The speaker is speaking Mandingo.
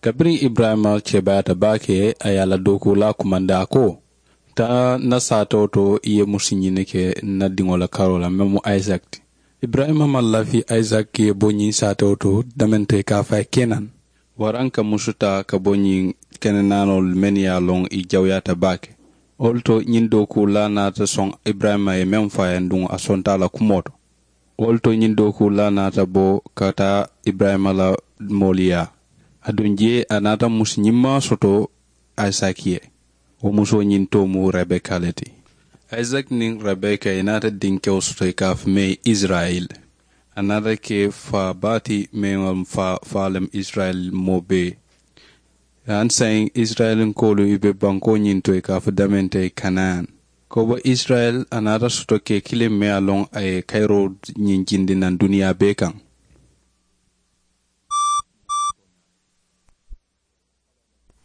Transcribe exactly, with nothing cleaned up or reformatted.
Kabiriŋ iburayima kebaayata baake, a ye a la dookuulaa kumandi a ko, taa n na saatewo to i ye musu ñini ke n na diŋo la karoo la meŋ mu isaki ti. Iburayima maŋ lafi isaki ye bo ñiŋ saatewo to damente ka a faa kenan, waraŋ ka musu taa ka bo ñiŋ kenenaanoolu mennu ye a loŋ i jawuyaata baake. Wolu to ñiŋ dookuulaa naata soŋ iburayima ye meŋ faa ye nduŋ a sonta a la kumoo to. Wolu to ñiŋ dookuulaa naata bo ka taa iburayima la moolu yaa. Aduŋ jee a naata musu ñimmaa soto isaki ye. Wo musoo ñiŋ too mu rebeka le ti. Isaki niŋ rebeka i naata dinkewo soto i ka a fo mee isirayila. A naata ke faa baa ti mee ŋa faa faa lem isirayila moo bee. Hani saayiŋ isirayilinkoolu i be bankoo ñiŋ to i ka a fo damente kanaani. Ko bo isirayila a naata soto ke kiliŋ mee a loŋ a ye kayiroo ñiŋ jindi naŋ duniyaa bee kaŋ.